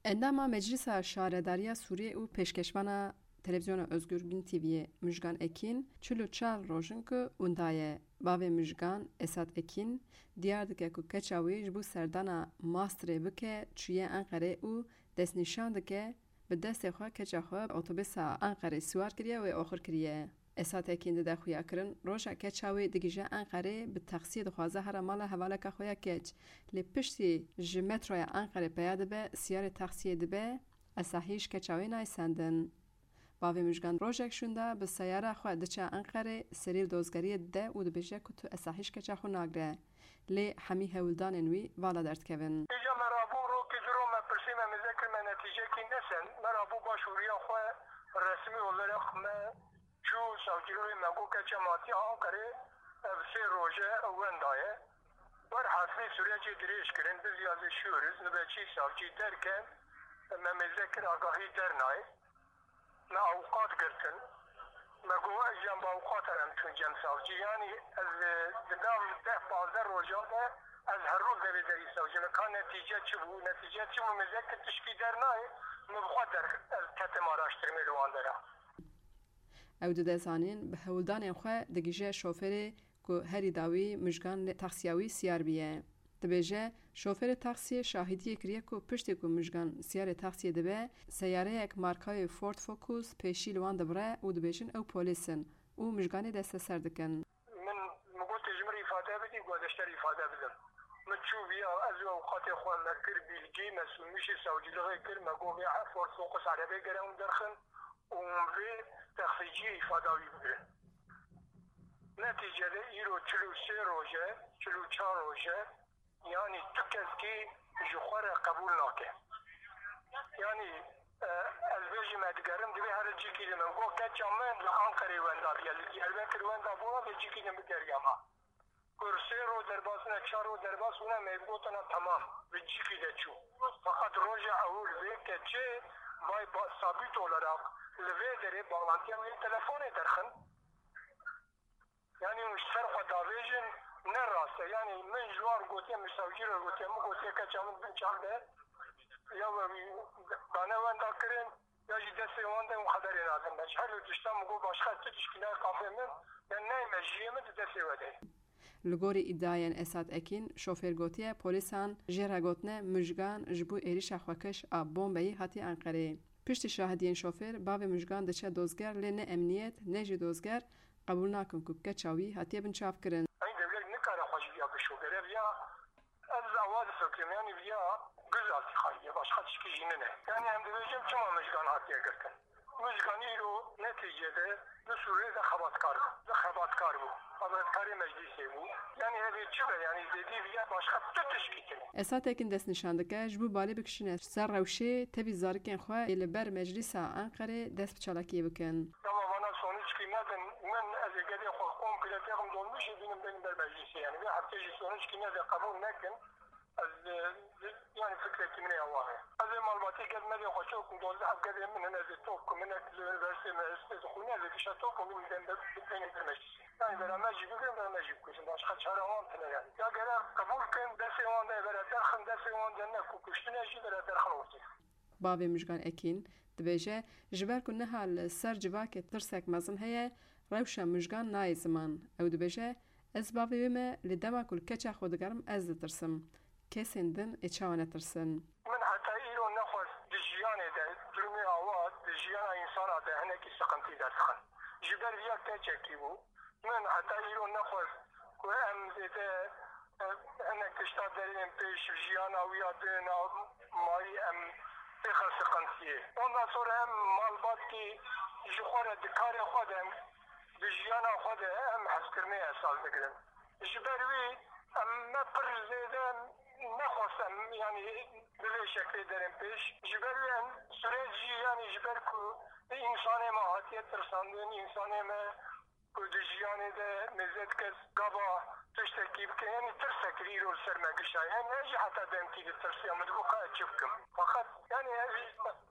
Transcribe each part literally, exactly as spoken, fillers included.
Endama Meclisa Şaredariya Sûriyê û pêşkeşvana Televîzyona Ozgur Bin T V'yê Mujgan Ekîn çil û çar roj in ku winda ye. Bavê Mujgan, Esat Ekîn, diyar dike ku keça wî ji bo serdana masterê bike çûye Enqerê û destnîşan dike, bi destê xwe keça xwe otobûsa Enqerê siwar kiriye û ê oxir kiriye. Esat Ekîn dide xuyakirin, roja keça wî digihîje Enqerê, bi taksiyê dixwaze here mala hevaleka xwe ya keç. Lê piştî ji metroya Enqerê peya dibe, siyarê taksiyê dibe, Esahî ji keça wê nayê sendin. Bavê Mujgan rojek şûnda bi seyara xwe diçe Enqerê, serî li dozgeriyê dide û dibêje ku tu Esahî ji keça xwe nagire. Lê hemî hewldanên wî vala derdikevin. Îca me rabû rokê du ro me pirsî me mêze kir me netîcekî nesen. Me rabû başvuriya xwe resmî olarak me çû savcılığı me got keça me hatiye Ankarê ev sê roje wenda ye. Werhasî sürecê dirêj kirin, biz yazışıyoruz, nöbetçi savcı derken me mêze kir agahî dernayê. Me avukat girtin. Me got ez jî em bi avukat em çûn cem savcî. Yanî ez, e, di nav deh pazdeh rojan de ez her roj devê derî savcî. Me ka netîce çi bû? Netîce çi bû? Mêze kir tişkî dernayê. Me bi xwe der, ez ketim araştirmê li wan dera. Ew dide zanîn, bi hewldanên xwe digihîje şoferê ku herî dawî Mujgan li taksiya wî siyar bûye. Dibêje, şoferê taksiyê şahidiyê kiriye ku piştî ku Mujgan siyarê taksiyê dibe, seyareyek markayê Ford Focus pêşî li wan dibire û dibêjin ew polîs in û Mujganê desteser dikin. Min, min got, "Tu ji min re îfade bidî?" Got, "Ez ji te re îfade bidim." Min çû viya, ez û ewqatê xwe me kir bîlgî, me sûnmîşê savcilixê kir, me got, "Vê Ford Focus erebê gere hûn derxin." û vê texsîciyê îfada wî bigirin. Netîcede îro çil û sê roj e, çil û çar roj e, yanî tu kesekî ji xwe re qebûl nake. Yanî, e, ez bêjim, ez digerim, divê here cîkî din. Min got, keça min li Anqerê wenda bûye, li Diyarbekir wenda bû, vê cîkî din bigeriya me. Ku sê ro derbas bûne, çar ro derbas bûne, me gotina temam, bi cîkî de çû. Feqet roja ewil vê keçê vay ba-, sabît olarak li vê derê bağlantiya wê telefonê derxin. Yanî hûn ji ser xwe davêjin, ne rast e. Yanî min ji wan gotiye, min savcî re gotiye, min gotiye keça min bin çav de ya we dane wenda kirin, ya jî destê wan de û xeberê nadin me. Ji her du tiştan min got, başqa tu tişkî nayê qafê min, ya neyê mejiyê min di destê we de ye. Li gorî îdiayên Esat Ekîn, şofêr gotiye, polîsan jê re gotine Mujgan ji bo êrîşa xwekiş a bombeyî hatiye Enqereyê. Piştî şahidiyên şofêr, bavê Mujgan diçe dozger lê ne emniyet ne jî dozger qebûl nakin ku keça wî hatiye binçavkirin. Eyn dewlet nikare xwe ji viya bişo. Gere viya Ez awa difikirim, yanî viya guzaltî xayî ye, başqa tişkî jî nine. Yanî em dibêjin çima Mujgan hatiye girtin? Mujgan îro netîcede di Sûriyê de xebatkar bû. Di xebatkar bû. Xebatkarê meclîsê bû. Yanî ev ê çi be? Yanî zêdî viya başqa tu tişkî tune. Esat Ekîn destnîşan dike, ji bo balê bikişîne ser rewşê, tevî zarikên xwe ê li ber Meclîsa Enqerê dest bi çalakiyê bikin. Dema vana sonuçkî nedin, min ez ê gedê xwe komple têxim dolmuşê bînim bênim ber meclîsê. Yanî vê heftê jî sonuçkî nede qebûl nekin. Ez, e, yanî fikrekî min ê awa heye. Ez ê malbatê gel me dê xwe çok dozdeh ev gedê min in, ez ê top ku min ek li üniversiteyê me hestê dixwîne, ez ê gişa top ku min bênim ber, bênim ber meclîsê. Yanî bera me jî bigirin, bera me jî bikujin. Başqa çare wan tine yanî. Ya gere qebûl kin, destê wan de bera derxin, destê wan de ne ku kuştine jî bera derxin ortê. Bavê Mujgan Ekîn dibêje, ji ber ku niha li ser civakê tirsek mezin heye, rewşa Mujgan nayê ziman. Ew dibêje, ez bavê wê me, lê dema ku li keça xwe digerim, ez ditirsim. Kesên din ê çawa netirsin? Min heta îro nexwest di jiyanê de, durumê awa di jiyana însana de hinekî siqintî derdixin. Ji ber viya keçekî bû. Min heta îro nexwest ku em zêde, e, hinek tişta derên pêş jiyana wî ya din a mayî em têxin siqintiyê. Ondan sonra em malbatkî ji xwe re di karê xwe de, di jiyana xwe de em hezkirinê esas digirin. Ji ber wî em me pir zêde nexwest em, yanî bi vê şeklê derin pêş. Ji ber wî em süreç jî, yanî ji ber ku însanê me hatiye tirsandin, însanê me ku di jiyanê de mêze kes gava tiştekî bike, yanî tirsekî îro li ser me gişa. Yanî ez jî heta demkî ditirsiya, min digot ka ez çi bikim. Feqet, yanî ez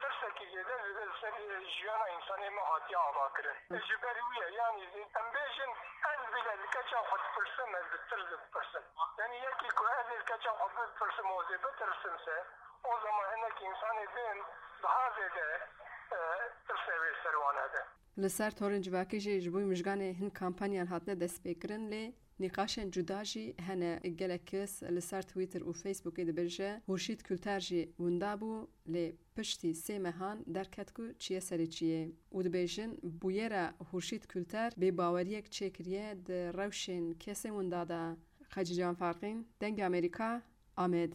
tirsekî zêde, zêde li ser jiyana însanê me hatiye avakirin. Ji ber wî ye, yanî em bêjin, ez bile li keça xwe dipirsim, ez bi tirs dipirsim. Yanî yekî ku ez ê li keça xwe bipirsim, ez ê bitirsim se, O zaman hinek însanê din daha zêde, e, tirsê wê ser wan hebe. Li ser torên civakî jî ji bo mijganê hin kampanyan hatine destpêkirin, lê nîqaşên cuda jî hene. Gelek kes li ser Twitter û Facebookê dibêje, Hurşît Kulter jî winda bû, lê piştî sê mehan derket ku çiye serê çiyê. Û dibêjin, bûyera Hurşît Kulter bêbaweriyek çêkiriye di rewşên kesên winda de. Xecîcan Farqîn, Dengê Amerîka, Amed.